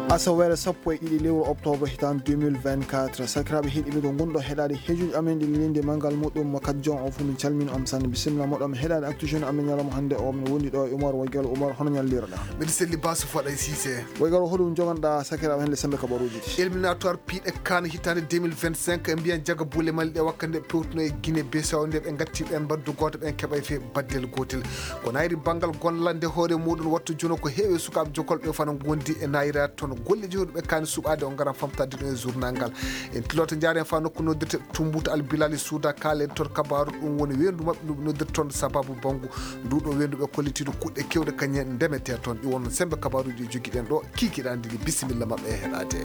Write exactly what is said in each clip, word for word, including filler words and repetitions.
Asaweere sappo e ɗiɗi lewru octobre hitaande deux mille vingt-quatre. Sakiraaɓe heɗiiɓe, ko ngonɗon heɗaade heejuuji amen ɗi lelinde manngal muɗum mo Kadjon o fof, min calmini on sanne. Bisimilla moɗon heɗaade Actu Jeune amen ñalawma hannde o. Min wondi ɗo e Umar Waygalo. Umar, hono ñallirɗaa? Mbiɗa selli Basu Faɗa e Cissé. Waygalo, hoɗum joganɗaa sakiraaɓe hannde semmbe kabaruuji ɗi? Éliminatoire piiɗe CAN hitaande deux mille vingt-cinq, e mbiyan jaga buule Mali ɗe wakkati nde pewtuno e Guinée Bissau, nde ɓe ngatti ɓen mbaddu gooto, ɓen keɓay fii baddel gootel. Ko nayri banngal gollande hoore muɗum wattu jono ko heewi e sukaaɓe jokolɓe fana ngondi e nayra toon. Golleeji hoɗuɓe kaani suɓaade o ngara famtade ɗum e journal ngal. En tiloto njaaren faa nokku noddirte Tumbutu Al Bilali Suuda, kaalen toon kabaaru ɗum woni weendu maɓɓe ndu ɓe noddirta toon sababu banngu ndu ɗo weendu ɓe kollitiiɗo kuɗɗe keewɗe kañum en ndemetee toon. Ɗi won semmbe kabaaruuji ɗi jogiɗen ɗo kiikiɗe anndi ɗi. Bisimilla maɓɓe e heɗaade.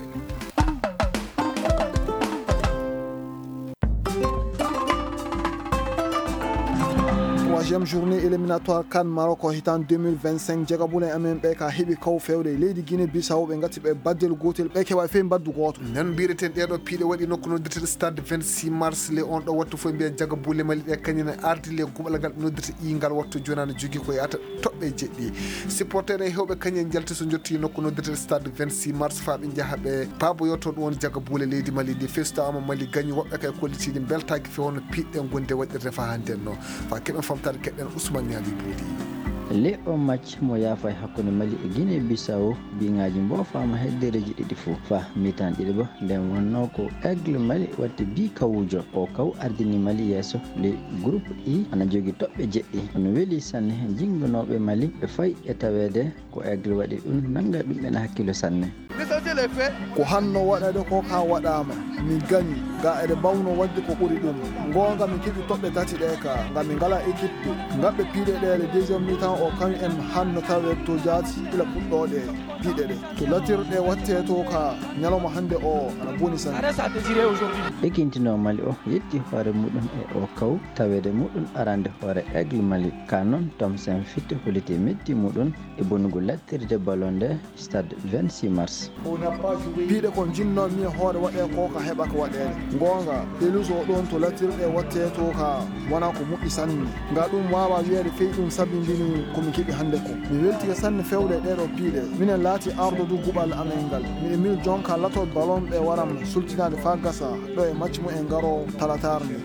Troisième journée éliminatoire CAN Maroc o hitaande deux mille vingt-cinq. Jagabulen amen ɓe ka heɓi kaw fewde e leydi Guinée Bissau, ɓe ngatti ɓe baddel gootel, ɓe keɓa fey mbaddu gooto. Nan mbireten ɗeɗo piiɗe waɗi nokku noddirte Stade vingt-six Mars. Le on ɗo wattu fof mbiya jagabuule Mali ɗe kañum ne ardi le guɓal ngal ɓe noddirta i ngal wattu jonaani jogi ko yahata toɓɓe jeɗɗi. Supporter e hewɓe kañum en njalti so njotti nokku noddirte Stade vingt-six Mars faa ɓe njaha ɓe paaboyoto ɗum woni jagabuule leydi Mali ndi. Festoama Mali gañi woɓɓe kay kollitiiɗi mbeltaaki fewono piiɗɗe gonde waɗirde faa hannde no. Faa keɓen famtaade keɗɗen Ousmane Niang Boodi. Le o match mo yaafa e hakkunde Mali e Guinée Bissau, biŋaaji mboofaama heddereeji ɗiɗi fof. Faa mitan ɗiɗi ba, nden wonnoo ko Aigle Mali waɗti bi kawuujo. O kaw ardini Mali yeeso ley groupe I, ana jogi toɓɓe jeɗɗi. Ono weli sanne, jinnganooɓe Mali ɓe fayi e taweede ko Aigle waɗi ɗum, nannga ɗum ɓen hakkilo sanne. Ko hanno waɗade ko ka waɗaama, mi gañi, ga eɗe mbawno waɗde ko ɓuri ɗum. Ngoonga, mi keɓi toɓɓe tati ɗe ka, ngam mi ngala équipe. Ngaɓɓe piiɗe ɗe le deuxième mi-temps o, kañum en hanno tawe to jaati ila puɗɗooɗe piiɗe ɗe. To latirɗe watte to ka ñalawma hannde o, ana boni sanne. Ekintino Mali o yetti hoore muɗum e o kaw taweede muɗum arande hoore Aigle Mali. Ka noon, Tom Sen Fitte holliti metti muɗum e bonugol lattirde ballon nde Stade vingt-six Mars. Piiɗe ko njinnoo mi e hoore waɗee ko ka heɓa ko waɗeede. Ngoonga, pelouse o ɗoon to lattirɗe watte to ka wona ko moƴƴi sanne. Nga ɗum waawa wiyeede fey ɗum sabindini ko mi keɓi hannde ko. Mi weltike sanne fewde e ɗeeɗo piiɗe. Minen laati ardodu guɓal amen ngal. Miɗo mil jonka lato ballon ɓe waram sultinaade faa gasa ɗo e match mu en ngaro talataar nde.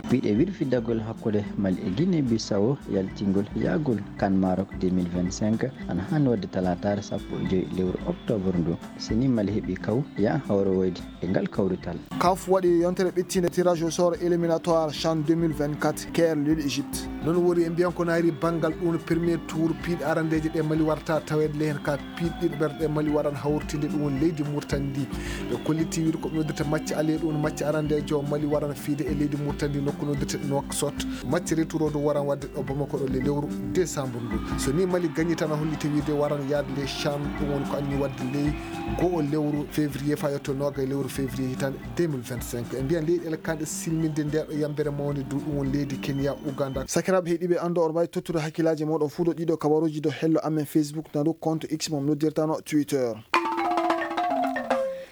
Piiɗe wirfidagol hakkunde Mali e Guinée Bissau yaltingol yahgol CAN Maroc deux mille vingt-cinq ana haani waɗde talataare sappo e joy lewru octobre ndu. Si ni Mali heɓi kaw, ya hawrowoyde e ngal kawrital. CAF waɗi yontere ɓittinde tirage au sort éliminatoire CHAN deux mille vingt-quatre, Caire, Lille, Égypte. Noon wori e mbiyan ko nayri banngal ɗum premier tour piiɗe arandeeje ɗe Mali warata taweede le heen ka piiɗe ɗiɗaɓere ɗe Mali waran hawritinde ɗum woni leydi Mauritanie ndi. Ɓe kolliti wiide ko ɓe noddirta match aller ɗum woni match arandeejo Mali waran fiide e leydi Mauritanie ndi nokku noddirte Nouakchott. Match retour o du waran waɗde ɗo Bamako ɗo le lewru décembre ndu. So ni Mali gañi tan a holliti wiide waran yaade le CHAN ɗum woni ko anni waɗde ley go'o lewru février faa yetto noogay lewru février hitaande deux mille vingt-cinq. E mbiyan leyɗeele kanɗe silminde nde ɗo yambere mawnde du ɗum woni leydi Kenya, Uganda. Sakiraaɓe heɗiiɓe, anndo on mbaawi tottude hakkillaaji mooɗon fuu ɗo ɗiɗo kabaruuji ɗo hello amen Facebook na du compte X mo noddirtano Twitter.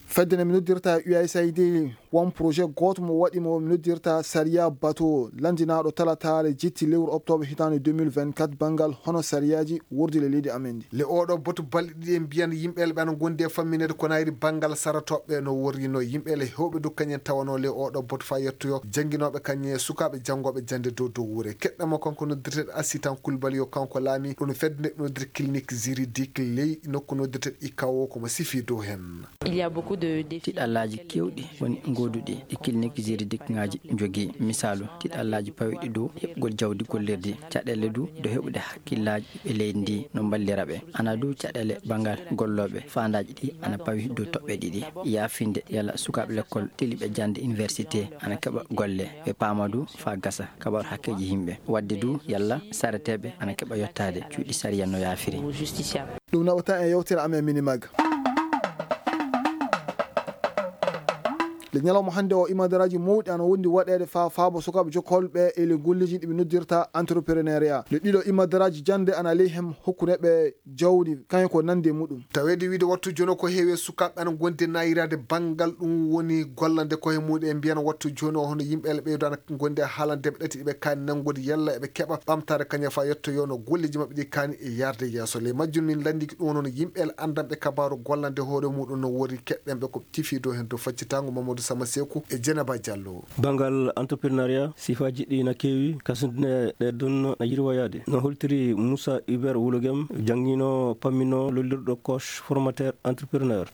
Fedde nde mi noddirta U S A I D, won projet gooto mo waɗi mo mi noddirta Sariya Bato, lanndinaaɗo talataare jetti lewru octobre hitaande deux mille vingt-quatre banngal hono sariyaaji wurdi le leydi amen ndi. Le oɗo botu balɗe ɗiɗi en mbiyan yimɓe le ɓe ana ngondi e fammineede ko nayri banngal sarotooɓe no worrino yimɓe le hewɓe du kañen tawano le oɗo botu faa yettoyo jannginooɓe kañe sukaaɓe janngooɓe jannde dow dow wure. Keɗɗamo kanko noddirteɗo Assitan Koulibaly yo kanko laami ɗum fedde nde noddirte clinique juridique ley nokku noddirteɗo Ikawo ko mo sifi dow heen. Il y a beaucoup de défis. Tiɗallaaji keewɗi woni ngooduɗi ɗi clinique juridique ŋaaji njogii. Misaalu, tiɗallaaji pawɗi dow heɓgol jawdi gollirdi, caɗeele du dow heɓude hakkillaaji ɓiɓɓe leydi ndi no mballira ɓe. Ana du caɗeele banngal gollooɓe, faandaaji ɗi ana pawi dow toɓɓe ɗiɗi. Yaafinde yalla sukaaɓe lekkol teliɓe jannde université ana keɓa golle, ɓe paama du faa gasa kabaru hakkeeji yimɓe. Waɗde du yalla sareteeɓe ana keɓa yottaade cuuɗi sariya no yaafiri. Ɗum naɓata e yewtere amen Minimag. Nde ñalawma hannde o, imadaraaji mawɗi ana wondi waɗeede faa faabo sukaaɓe jokkolɓe e ley golleeji ɗi ɓe noddirta entrepreneuriat. Nde ɗiɗo imadaraaji jannde ana ley hem hokkude ɓe jawdi, kañum ko nande e muɗum. Taweede wiide wattu jooni o ko heewi e sukaaɓe ana ngondi e naayiraade banngal ɗum woni gollande koye muɗum e mbiyan wattu jooni o hono yimɓe ele ɓeydo ana ngondi e haalande ɓe ɗati ɗi ɓe kaani nanngude yalla eɓe keɓa ɓamtaare kañum faa yettoyoo no golleeji maɓɓe ɗi kaani e yaarde yeeso. Ley majjum min lanndiki ɗum woni hono yimɓe ele anndanɓe kabaaru gollande hoore muɗum no wori keɗɗen ɓe ko tifiido heen to faccitaango Mamadou Sama Seeku e Jenaba Jallo. Banngal entrepreneuriat, sifaaji ɗi na keewi, kasundine ɗe ɗon na yirwayaade. No holtiri Moussa Hubert Wulogem, janngiino, pamminoo, lollirɗo coach formateur entrepreneur.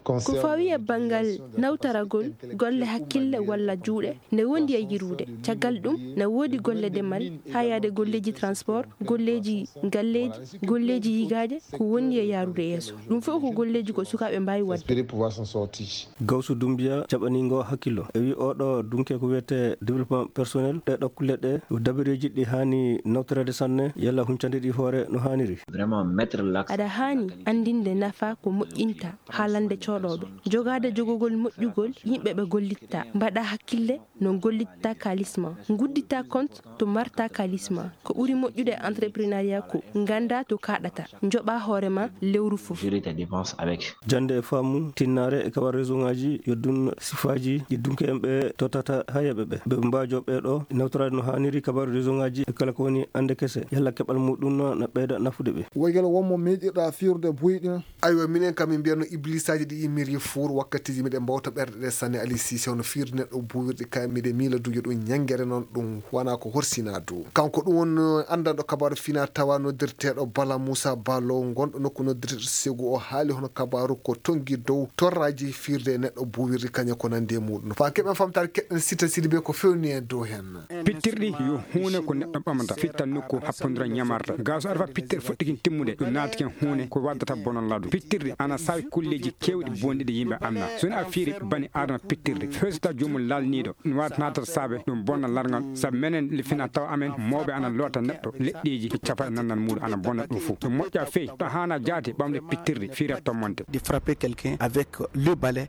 Ko fawi e banngal nawtaragol golle hakkille walla juuɗe, ne wondi e yirude. Caggal ɗum, ne woodi golle demal, haa yaade golleeji transport, golleeji galleeji, golleeji yigaaje, ko wondi e yaarude yeeso. Ɗum fof ko golleeji ko sukaaɓe mbaawi waɗde. Espérer pouvoir s'en sortir. Gawsu Dumbiya, jaɓaniingo hakkillo. E wi oɗo dunke ko wiyetee développement personnel, ɗe ɗo kulle ɗe, dabareeji ɗi haani nawtoreede sanne, yalla huncande ɗi hoore no haaniri. Vraiment mettre l'accent. Aɗa haani anndinde nafa ko moƴƴinta haalande coodooɓe, jogaade jogogol moƴƴugol yimɓe ɓe gollitta, mbaɗa hakkille no gollitta kaalis ma, nguddita compte to marta kaalis ma. Ko ɓuri moƴƴude e entrepreneuriat ko ngannda to kaaɗata, njoɓa hoore ma lewru fof. Gérer tes dépenses avec. Jannde e faamu, tinnaare e kabar réseau ngaji, yo ɗum sifaaji ɗi dunke en ɓe tottata haa yaɓe ɓe. Ɓe mbaajo ɓe ɗo nawtoraade no haaniri kabar réseau ngaji e kala ko woni annde kese, yalla keɓal muɗum na ɓeyda nafude ɓe. Woygal wonmo meeɗirɗa fiirde buy ɗin. Aywa, minen kam min mbiyatno iblisaaji ɗi immiri fuur wakkatiiji miɗen mbawta ɓerɗe ɗe sanne. Ali Sise, hono fiirde neɗɗo buwirɗi kaye miɗen miila duƴo ɗum ñanngere noon ɗum wonaa ko horsinaa dow. Kanko ɗum won, eh, anndanɗo kabaaru fina tawa noddirteeɗo Bala Moussa Balo, ngonɗo nokku noddirteeɗo Segu, o haali hono kabaaru ko tonngi dow torraaji fiirde e neɗɗo buwirɗi kañe ko nanndi e muɗum. Faa keɓen famtaare keɗɗen Sita Sidibe ko fewni e dow heen. Pittirɗi yo huune ko neɗɗo ɓamata, fitta nokku, happondira ñamarta. Gaa so arfa pittirɗi fuɗɗikin timmude, ɗum naatikin huune ko waddata bonal laadu. Pittirɗi ana saawi kulleeji keewɗi bonɗi ɗi yimɓe anna. So ni a fiiri bani Aadama pittirɗi, feesata joomum laalniiɗo, ɗum waɗata naatata saabe ɗum bonna larngal. Sabu menen le fina tawa amen, mawɓe ana loota neɗɗo, leɗɗeeji e cafa e nannal muuɗum ana bonna ɗum fof. Ɗum moƴƴa fey, to haana jaati ɓamde pittirɗi, fiira tommonte. De frapper quelqu'un avec le balai.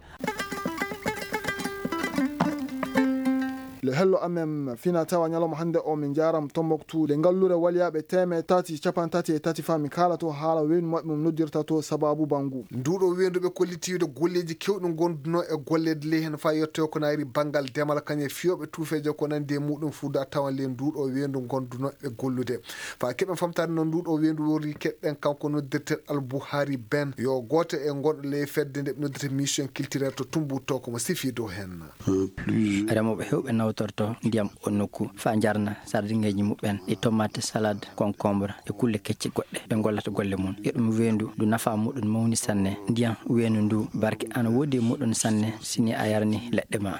Le hello amen fina tawa ñalawma hannde o min njaaram Tombouctou, nde ngallure waliyaaɓe teeme tati capan tati e tati faa min kaala to haala weendu maɓɓe mum noddirta to Sababu Bangu. Nduuɗo weendu ɓe kolliti wiide golleeji keewɗi ngondunoo e golleede ley heen faa yettoyo ko naayri banngal demal kañe fiyooɓe tuufeeje ko nanndi e muɗum fuuda tawan ley nduuɗo weendu ngondunoo e gollude. Faa keɓen famtaade no nduuɗo weendu wori keɗɗen kanko noddirte Albuhari Ben, yo gooto e ngonɗo ley fedde nde ɓe noddirta mission culturelle to Tumbuto, ko mo sifi dow heen. Remooɓe heewɓe nawtorto ndiyam o nokku faa njarna sardiŋeeji muɓɓen e tomate, salade, concombre e kulle kecce goɗɗe ɓe ngollata golle mum. E ɗum weendu ndu nafa muɗum mawni sanne. Ndiyam weendu ndu barke ana woodi e muɗum sanne si ni a yarni leɗɗe ma.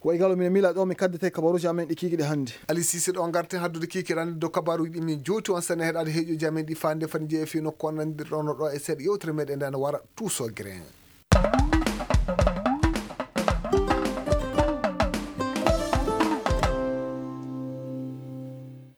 Wa igalo mine miila ɗo mi kaddete kabaruuji amen ɗi kiikiɗe hannde. Ali Sise ɗo ngarten haddude kiikiɗe hannde dow kabaruuji ɗi min jowti on sanne heɗaade heeƴooji amen ɗi faande fani jeeya fii nokku on nandirɗon ɗo e seeɗa yewtere meɗen nde ana wara Tuuso Grain.